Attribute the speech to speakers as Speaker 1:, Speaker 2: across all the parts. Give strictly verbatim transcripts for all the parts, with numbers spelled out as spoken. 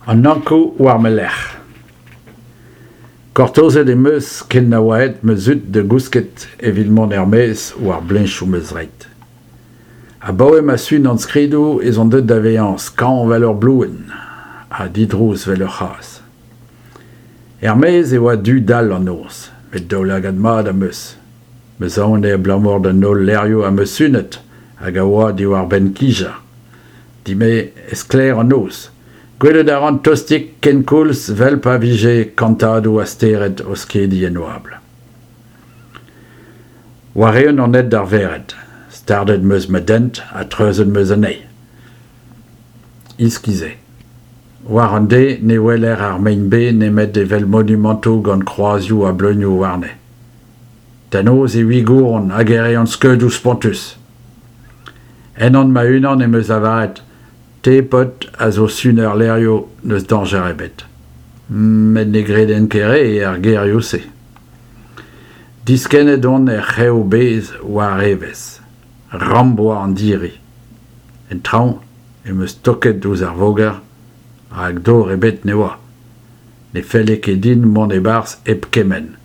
Speaker 1: An Ankoù war ma lerc'h. Gortozet em eus ken na oa aet ma zud da gousket evit mont er-maez war bleñchoù ma zreid. Abaoe ma sunan skridoù ez on deuet da vezañ skañv 'vel ur bluenn ha didrouz 'vel ur c'hazh. Er-maez e oa du-dall an noz, met daoulagad mat am eus. 'M eus aon eo abalamour d'an holl levrioù am eus sunet hag a oa diwar-benn kijañ. Din-me eo sklaer an noz. Gwelet a ran tostik kenkoulz 'vel pa vije kantadoù a stered o skediñ en oabl. War-eeun on aet d'ar vered. Stardet 'm eus ma dent ha treuzet 'm eus anezhi. Iskis eo. War an deiz ne weler ar mein-bez nemet evel monumantoù gant kroazioù ha bleunioù warne. Da noz e wigouront hag e reont skeudoù spontus. Ennon ma-unan em eus lavaret Te, paotr, a zo suner levrioù, n'eus dañjer ebet. Met ne greden ket re er gerioù-se. Diskennet on er c'hev-bez war evezh. Ramp 'oa an diri. En traoñ em eus stoket ouzh ar voger, rak dor ebet ne oa. Ne felle ket din mont e-barzh hep kemenn.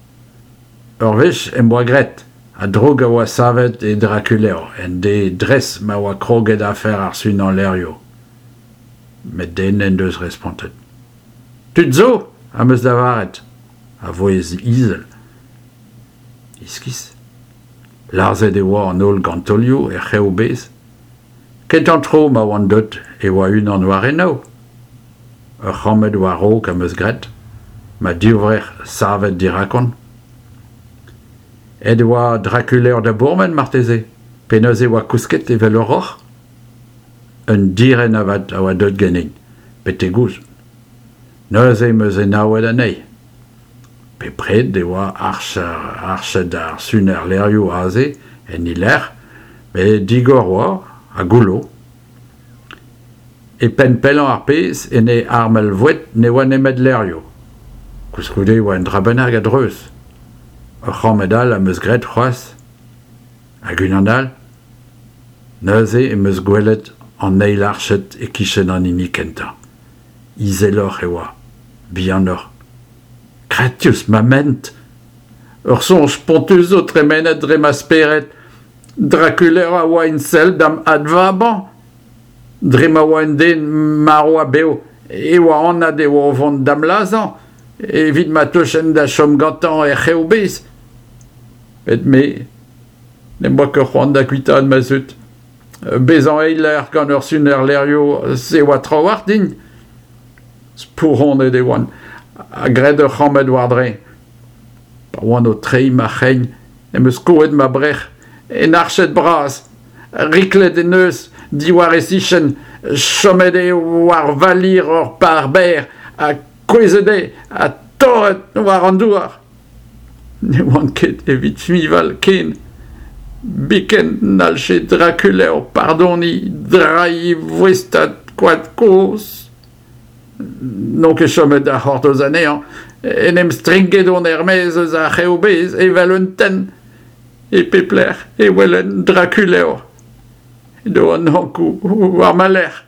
Speaker 1: Ur wech em boa graet, ha droug a oa savet e Drakulevr en deiz dres ma oa kroget afer ar sunañ levrioù. Met den n'en deus respontet. Tud zo, am eus lavaret, a vouezh izel. Iskis. Lazhet e oa an holl gantolioù er c'hev-bez. Kentañ tro ma oan deuet e oa unan war enaou. Ur c'hammed war-raok am eus graet, ma divrec'h savet dirakon. Aet e oa Drakulevr da bourmen marteze, pe neuze e oa kousket evel ur roc'h. Un direnn avat a oa deuet ganin, betek-gouzout. Neuze em eus enaouet anezhi. Bepred e oa arched ar suner levrioù aze, en he lec'h, met digor oa ha goullo. E penn pellañ ar pezh, en e armel-voued, ne oa nemet levrioù. Koulskoude e oa un dra bennak a-dreuz. Ur c'hammed all am eus graet c'hoazh, hag unan all. Neuze em eus gwelet an eil arched e-kichen an hini kentañ. Izeloc'h e oa, bihanoc'h. Gratius ma ment ! Ur soñj spontus zo tremenet dre ma spered. Drakulevr a oa en sell da'm advabañ. Dre ma oa un den marv ha bev e oa anat e oa o vont da'm lazhañ evit ma teufen da chom gantañ er c'hev-bez. Met me, n'em boa ket c'hoant da guitaat ma zud. Bezañ eiler gant ur suner levrioù, se oa trawalc'h din. Spouronet e oan, ha graet ur c'hammed war-dreñv. Pa oan o treiñ ma c'hein em eus skoet ma brec'h en arched bras. Riklet en deus diwar e sichenn, chomet eo war valir ur par berr ha kouezhet eo ha torret war an douar. Ne oan ket evit fiñval ken. Biken n'hallje Drakulevr pardoniñ drailh e voestad koad kozh. N'on ket chomet da c'hortoz anezhañ. En em strinket on er-maez eus ar c'hev-bez evel un tenn. E pep lec'h e welen Drakulevr. Edo an Ankoù war ma lerc'h.